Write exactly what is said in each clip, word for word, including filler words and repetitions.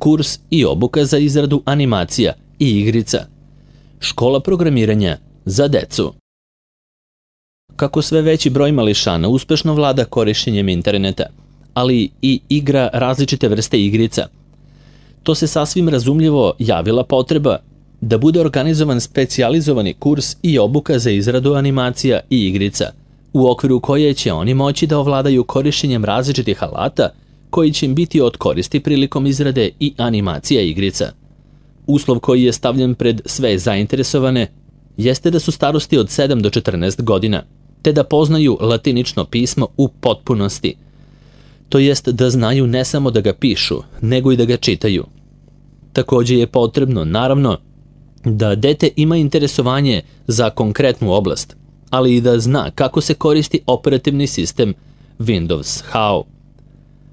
kurs i obuka za izradu animacija i igrica. Škola programiranja za decu. Kako sve veći broj mališana uspešno vlada korišćenjem interneta, ali i igra različite vrste igrica, to se sasvim razumljivo javila potreba da bude organizovan specijalizovani kurs i obuka za izradu animacija i igrica, u okviru koje će oni moći da ovladaju korišćenjem različitih alata koji će im biti od koristi prilikom izrade i animacija igrica. Uslov koji je stavljen pred sve zainteresovane jeste da su starosti od sedam do četrnaest godina, te da poznaju latinično pismo u potpunosti, to jest da znaju ne samo da ga pišu, nego i da ga čitaju. Takođe je potrebno, naravno, da dete ima interesovanje za konkretnu oblast, ali i da zna kako se koristi operativni sistem Windows H A O.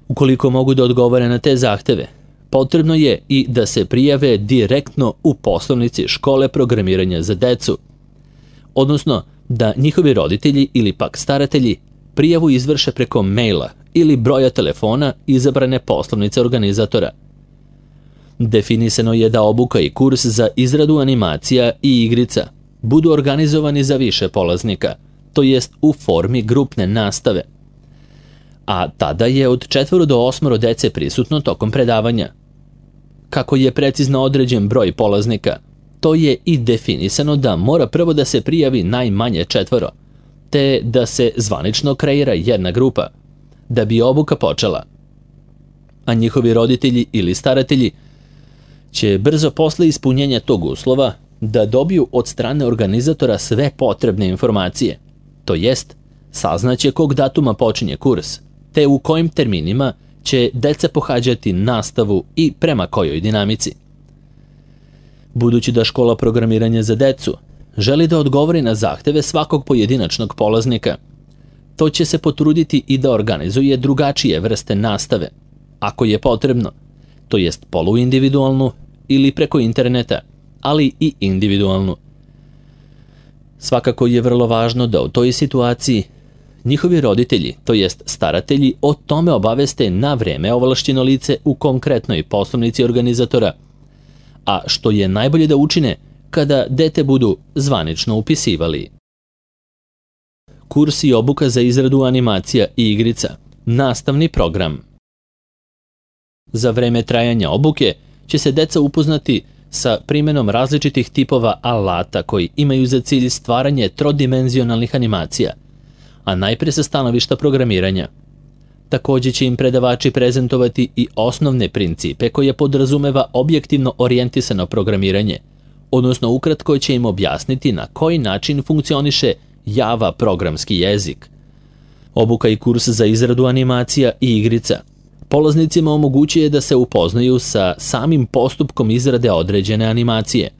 Ukoliko mogu da odgovore na te zahteve, potrebno je i da se prijave direktno u poslovnici škole programiranja za decu, odnosno da njihovi roditelji ili pak staratelji prijavu izvrše preko maila ili broja telefona izabrane poslovnice organizatora. Definisano je da obuka i kurs za izradu animacija i igrica budu organizovani za više polaznika, to jest u formi grupne nastave, a tada je od četvoro do osmoro dece prisutno tokom predavanja. Kako je precizno određen broj polaznika, to je i definisano da mora prvo da se prijavi najmanje četvoro, te da se zvanično kreira jedna grupa, da bi obuka počela. A njihovi roditelji ili staratelji će brzo posle ispunjenja tog uslova da dobiju od strane organizatora sve potrebne informacije, to jest saznaće kog datuma počinje kurs, te u kojim terminima će deca pohađati nastavu i prema kojoj dinamici. Budući da škola programiranja za decu želi da odgovori na zahteve svakog pojedinačnog polaznika, to će se potruditi i da organizuje drugačije vrste nastave, ako je potrebno, to jest poluindividualnu ili preko interneta, ali i individualnu. Svakako je vrlo važno da u toj situaciji njihovi roditelji, to jest staratelji, o tome obaveste na vreme ovlašćeno lice u konkretnoj poslovnici organizatora, a što je najbolje da učine kada dete budu zvanično upisivali. Kurs i obuka za izradu animacija i igrica. Nastavni program. Za vreme trajanja obuke će se deca upoznati sa primenom različitih tipova alata koji imaju za cilj stvaranje trodimenzionalnih animacija, a najpre sa stanovišta programiranja. Takođe će im predavači prezentovati i osnovne principe koje podrazumeva objektivno orijentisano programiranje, odnosno ukratko će im objasniti na koji način funkcioniše Java programski jezik. Obuka i kurs za izradu animacija i igrica polaznicima omogućuje da se upoznaju sa samim postupkom izrade određene animacije,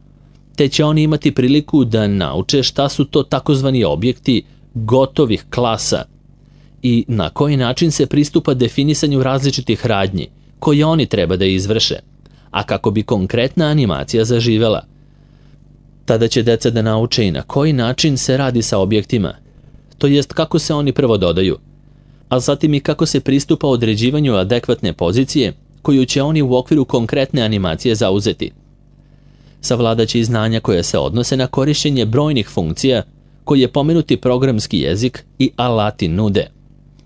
te će oni imati priliku da nauče šta su to takozvani objekti gotovih klasa i na koji način se pristupa definisanju različitih radnji koje oni treba da izvrše, a kako bi konkretna animacija zaživela. Tada će deca da nauče i na koji način se radi sa objektima, to jest kako se oni prvo dodaju, a zatim i kako se pristupa određivanju adekvatne pozicije koju će oni u okviru konkretne animacije zauzeti. Savladaće i znanja koja se odnose na korišćenje brojnih funkcija koje pomenuti programski jezik i alati nude,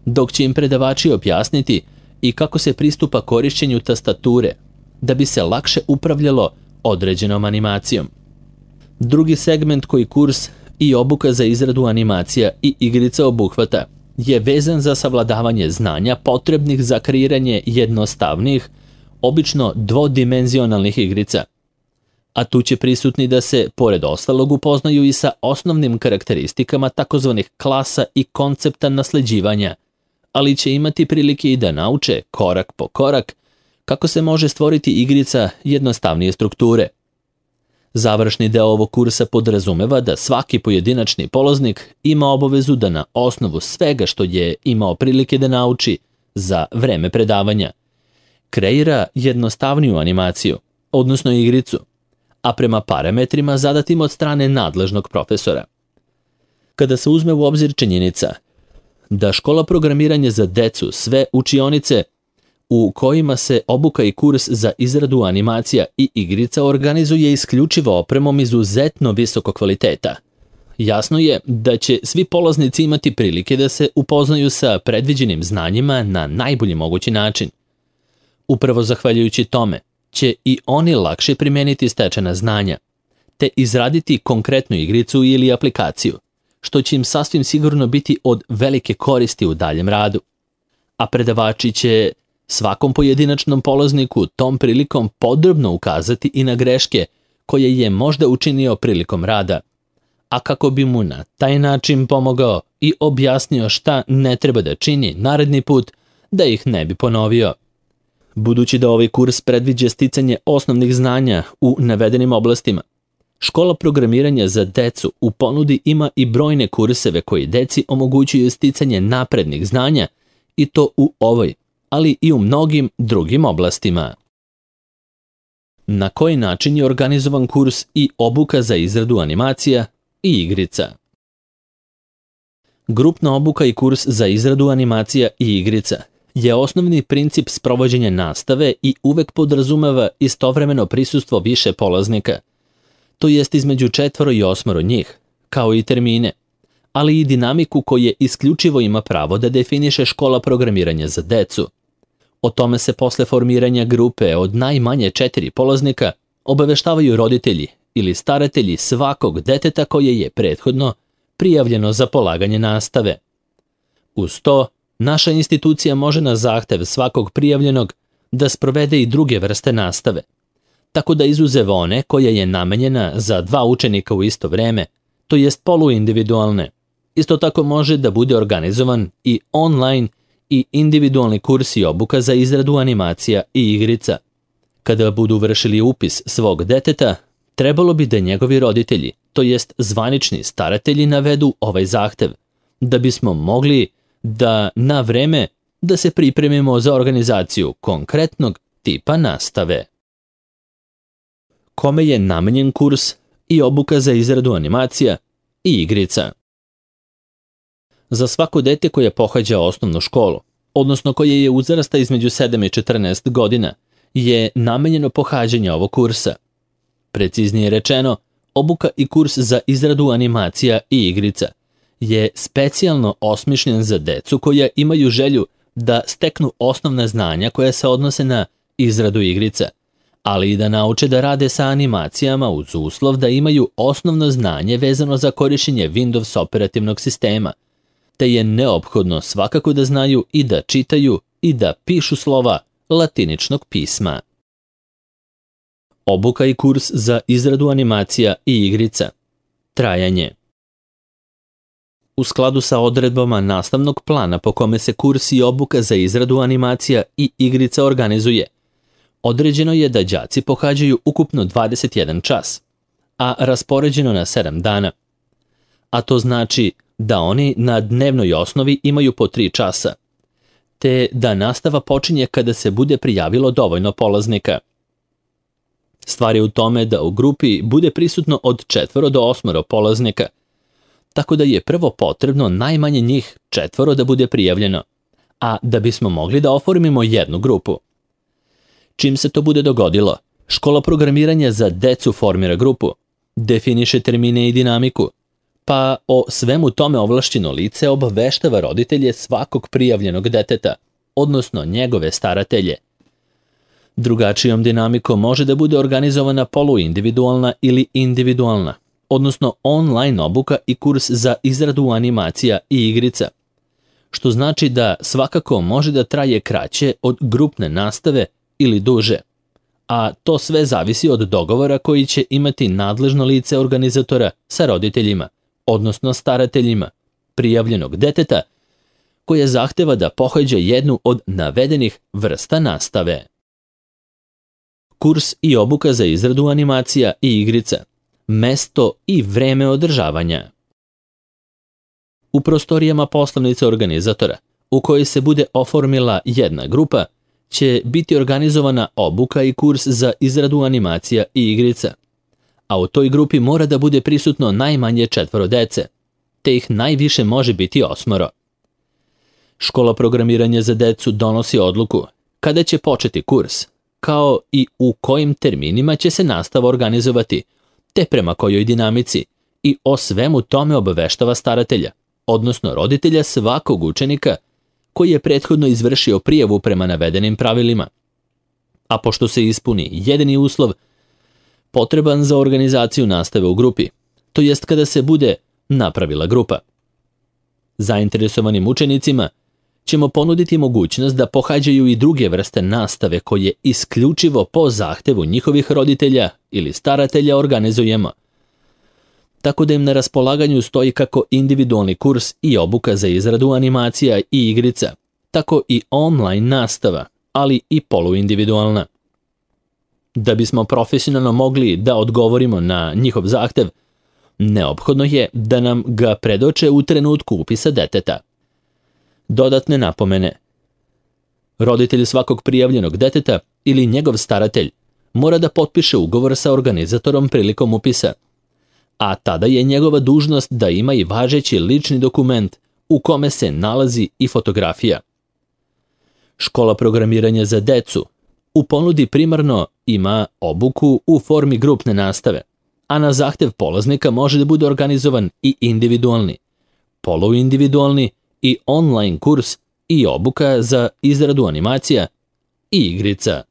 dok će im predavači objasniti i kako se pristupa korišćenju tastature da bi se lakše upravljalo određenom animacijom. Drugi segment koji kurs i obuka za izradu animacija i igrica obuhvata je vezan za savladavanje znanja potrebnih za kreiranje jednostavnih, obično dvodimenzionalnih igrica. A tu će prisutni da se, pored ostalog, upoznaju i sa osnovnim karakteristikama takozvanih klasa i koncepta nasleđivanja, ali će imati prilike i da nauče, korak po korak, kako se može stvoriti igrica jednostavnije strukture. Završni deo ovog kursa podrazumeva da svaki pojedinačni polaznik ima obavezu da na osnovu svega što je imao prilike da nauči za vreme predavanja kreira jednostavniju animaciju, odnosno igricu, a prema parametrima zadatim od strane nadležnog profesora. Kada se uzme u obzir činjenica da škola programiranja za decu sve učionice u kojima se obuka i kurs za izradu animacija i igrica organizuje isključivo opremom izuzetno visokog kvaliteta. Jasno je da će svi polaznici imati prilike da se upoznaju sa predviđenim znanjima na najbolji mogući način. Upravo zahvaljujući tome će i oni lakše primeniti stečena znanja, te izraditi konkretnu igricu ili aplikaciju, što će im sasvim sigurno biti od velike koristi u daljem radu. A predavači će svakom pojedinačnom polazniku tom prilikom podrobno ukazati i na greške koje je možda učinio prilikom rada, a kako bi mu na taj način pomogao i objasnio šta ne treba da čini naredni put da ih ne bi ponovio. Budući da ovaj kurs predviđa sticanje osnovnih znanja u navedenim oblastima, škola programiranja za decu u ponudi ima i brojne kurseve koji deci omogućuju sticanje naprednih znanja i to u ovoj, ali i u mnogim drugim oblastima. Na koji način je organizovan kurs i obuka za izradu animacija i igrica? Grupna obuka i kurs za izradu animacija i igrica je osnovni princip sprovođenja nastave i uvek podrazumeva istovremeno prisustvo više polaznika, to jest između četvoro i osmoro njih, kao i termine, ali i dinamiku koje isključivo ima pravo da definiše škola programiranja za decu. O tome se posle formiranja grupe od najmanje četiri polaznika obaveštavaju roditelji ili staratelji svakog deteta koje je prethodno prijavljeno za polaganje nastave. Uz to, naša institucija može na zahtev svakog prijavljenog da sprovede i druge vrste nastave, tako da izuzev one koja je namenjena za dva učenika u isto vreme, to jest poluindividualne, isto tako može da bude organizovan i online i individualni kurs i obuka za izradu animacija i igrica. Kada budu vršili upis svog deteta, trebalo bi da njegovi roditelji, to jest zvanični staratelji, navedu ovaj zahtev, da bismo mogli da na vreme da se pripremimo za organizaciju konkretnog tipa nastave. Kome je namenjen kurs i obuka za izradu animacija i igrica? Za svako dete koje pohađa osnovnu školu, odnosno koje je uzrasta između sedam i četrnaest godina, je namenjeno pohađanje ovog kursa. Preciznije rečeno, obuka i kurs za izradu animacija i igrica je specijalno osmišljen za decu koja imaju želju da steknu osnovna znanja koja se odnose na izradu igrica, ali i da nauče da rade sa animacijama uz uslov da imaju osnovno znanje vezano za korišćenje Windows operativnog sistema, te je neophodno svakako da znaju i da čitaju i da pišu slova latiničnog pisma. Obuka i kurs za izradu animacija i igrica. Trajanje. U skladu sa odredbama nastavnog plana po kome se kurs i obuka za izradu animacija i igrica organizuje, određeno je da đaci pohađaju ukupno dvadeset jedan čas, a raspoređeno na sedam dana. A to znači da oni na dnevnoj osnovi imaju po tri časa, te da nastava počinje kada se bude prijavilo dovoljno polaznika. Stvar je u tome da u grupi bude prisutno od četvoro do osmoro polaznika, tako da je prvo potrebno najmanje njih četvoro da bude prijavljeno, a da bismo mogli da oformimo jednu grupu. Čim se to bude dogodilo, škola programiranja za decu formira grupu, definiše termine i dinamiku, pa o svemu tome ovlašćeno lice obaveštava roditelje svakog prijavljenog deteta, odnosno njegove staratelje. Drugačijom dinamikom može da bude organizovana poluindividualna ili individualna, odnosno online obuka i kurs za izradu animacija i igrica, što znači da svakako može da traje kraće od grupne nastave ili duže, a to sve zavisi od dogovora koji će imati nadležno lice organizatora sa roditeljima, odnosno starateljima prijavljenog deteta, koje zahteva da pohađa jednu od navedenih vrsta nastave. Kurs i obuka za izradu animacija i igrica. Mesto i vreme održavanja. U prostorijama poslovnice organizatora, u kojoj se bude oformila jedna grupa, će biti organizovana obuka i kurs za izradu animacija i igrica, a u toj grupi mora da bude prisutno najmanje četvoro dece, te ih najviše može biti osmoro. Škola programiranja za decu donosi odluku kada će početi kurs, kao i u kojim terminima će se nastava organizovati, te prema kojoj dinamici, i o svemu tome obaveštava staratelja, odnosno roditelja svakog učenika koji je prethodno izvršio prijavu prema navedenim pravilima. A pošto se ispuni jedini uslov potreban za organizaciju nastave u grupi, to jest kada se bude napravila grupa. Zainteresovanim učenicima ćemo ponuditi mogućnost da pohađaju i druge vrste nastave koje isključivo po zahtevu njihovih roditelja ili staratelja organizujemo, tako da im na raspolaganju stoji kako individualni kurs i obuka za izradu animacija i igrica, tako i online nastava, ali i poluindividualna. Da bismo profesionalno mogli da odgovorimo na njihov zahtev, neophodno je da nam ga predoče u trenutku upisa deteta. Dodatne napomene. Roditelj svakog prijavljenog deteta ili njegov staratelj mora da potpiše ugovor sa organizatorom prilikom upisa, a tada je njegova dužnost da ima i važeći lični dokument u kome se nalazi i fotografija. Škola programiranja za decu u ponudi primarno ima obuku u formi grupne nastave, a na zahtev polaznika može da bude organizovan i individualni, poluindividualni i online kurs i obuka za izradu animacija i igrica.